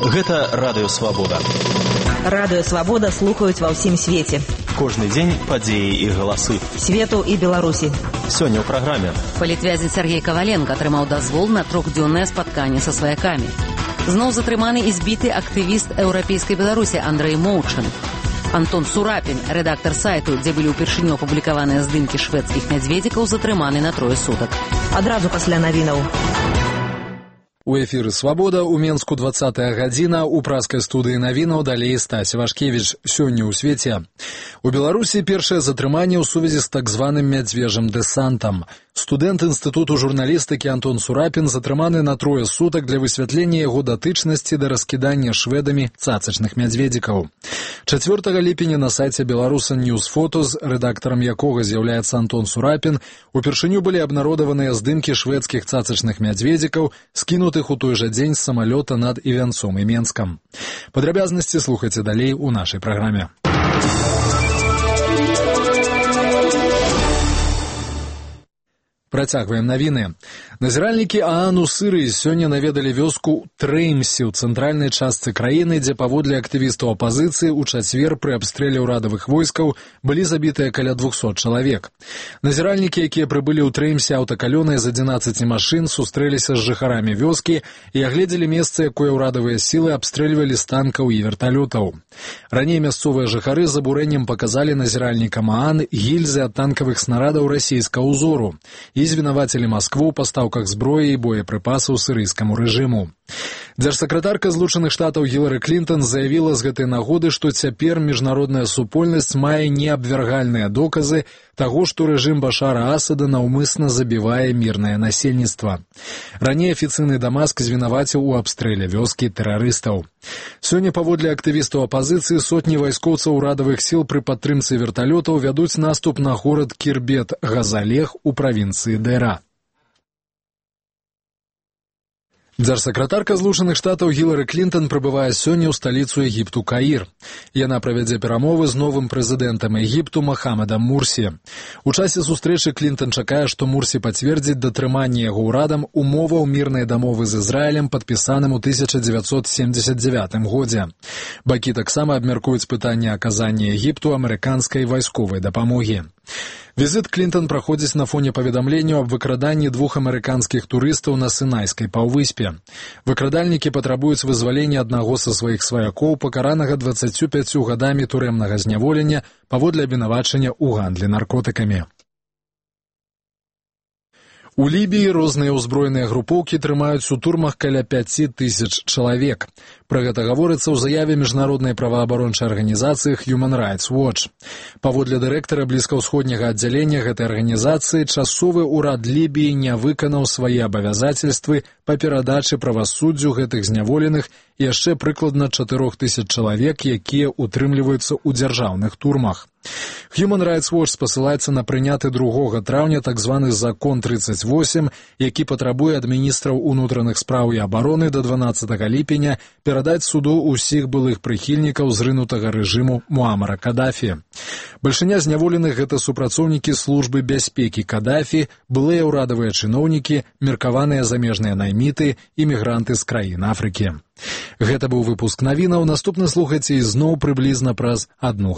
Гэта Радыё Свабода. Радыё Свабода слухаюць ва ўсім свеце. Кожны дзень падзеі і галасы. Свету і Беларусі. Сёння ў праграме. Палітвязень Сергей Коваленко атрымаў дазвол на 3-дзённае спатканне са сваякамі. Зноў затрыманы і збіты актывіст еўрапейскай Беларусі Андрэй Моўчын. Антон Сурапін, рэдактар сайту, дзе былі ўпершыню апублікаваныя здымкі шведскіх мядзведзікаў, затрыманы на 3 сутак. Адразу пасля навінаў. У эфіры «Свабода» у Менску 20-я гадзіна, у праскай студыі навінаў далей Стась Вашкевіч. Сёння ў свеце. У Беларусі першае затрыманне ў сувязі з так званым мядзвежым дэсантам. Студэнт інстытуту журналістыкі Антон Сурапін затрыманы на 3 сутак для высвятлення яго датычнасці да раскідання шведамі цацачных мядзведзікаў. 4 ліпеня на сайце Беларусан Ньюс Фотос, рэдактарам якога з'яўляецца Антон Сурапін, упершыню былі абнародаваныя здымкі шведскіх цацачных мядзведзікаў, скінутых у той жа дзень з самалёта над Івянцом і Менскам. Падрабязнасці слухайце далей у нашай праграме. Працягваем навіны. Назіральнікі ААН у Сырыі сёння наведалі вёску Трэймсі ў цэнтральнай частцы краіны, дзе паводле актывістаў апазіцыі ў чацвер пры абстрэле ўрадавых войскаў былі забітыя каля 200 чалавек. Назіральнікі, якія прыбылі ў Трэймсі аўтакалёнай з 11 машын, сустрэліся з жыхарамі вёскі і агледзелі месца, якое ўрадавыя сілы абстрэльвалі з танкаў і верталётаў. Раней мясцовыя жыхары з абурэннем паказалі назіральнікам ААН гільзы ад танкавых снарадаў расійскага ўзору і звінавацілі Маскву ў пастаўках зброі і боепрыпасаў сірыйскаму рэжыму. Дзяржсакратарка Злучаных Штатаў Гілары Клінтон заявіла з гэтай нагоды, што цяпер міжнародная супольнасць мае неабвяргальныя доказы таго, што рэжым Башара Асада наўмысна забівае мірнае насельніцтва. Раней афіцыйны Дамаск звінаваціў у абстрэле вёскі тэрарыстаў. Сёння паводле актывістаў апазіцыі сотні вайскоўцаў урадавых сіл пры падтрымцы верталётаў вядуць наступ на горад Кірбет-Газалех у правінцыі Дэра. Дзяржсакратарка Злучаных Штатаў Гілары Клінтон прыбывае сёння ў сталіцу Егіпту Каір. Яна правядзе перамовы з новым прэзідэнтам Егіпту Махамедам Мурсі. У часе сустрэчы Клінтон чакае, што Мурсі пацвердзіць датрыманне яго ўрадам умоваў мірнай дамовы з Ізраілем, падпісаным у 1979 годзе. Бакі таксама абмяркуюць пытанне аказання Егіпту амерыканскай вайсковай дапамогі. Візіт Клінтон праходзіць на фоне паведамленняў аб выкраданні 2 амерыканскіх турыстаў на Сінайскай паўвыспе. Выкрадальнікі патрабуюць вызвалення аднаго са сваіх сваякоў, пакаранага 25 гадамі турэмнага зняволення паводле абвінавачання ў гандлі наркотыкамі. У Лібіі розныя ўзброеныя групоўкі трымаюць у турмах каля 5000 чалавек. Пра гэта гаворыцца ў заяве міжнароднай праваабарончай арганізацыі Human Rights Watch. Паводле дырэктара блізкаўсходняга аддзялення гэтай арганізацыі, часовы ўрад Лібіі не выканаў свае абавязацельствы па перадачы правасуддзю гэтых зняволеных і яшчэ прыкладна 4000 чалавек, якія утрымліваюцца ў дзяржаўных турмах. Human Rights Watch спасылаецца на прыняты 2 траўня так званы закон 38, які патрабуе ад міністраў унутраных спраў і абароны да 12 ліпеня перадаць суду ўсіх былых прыхільнікаў зрынутага рэжыму Муамара Кадафі. Бальшыня зняволеных гэта супрацоўнікі службы бяспекі Кадафі, былыя ўрадавыя чыноўнікі, меркаваныя замежныя найміты і мігранты з краін Афрыкі. Гэта быў выпуск навінаў. Наступны слухайце ізноў прыблізна праз 1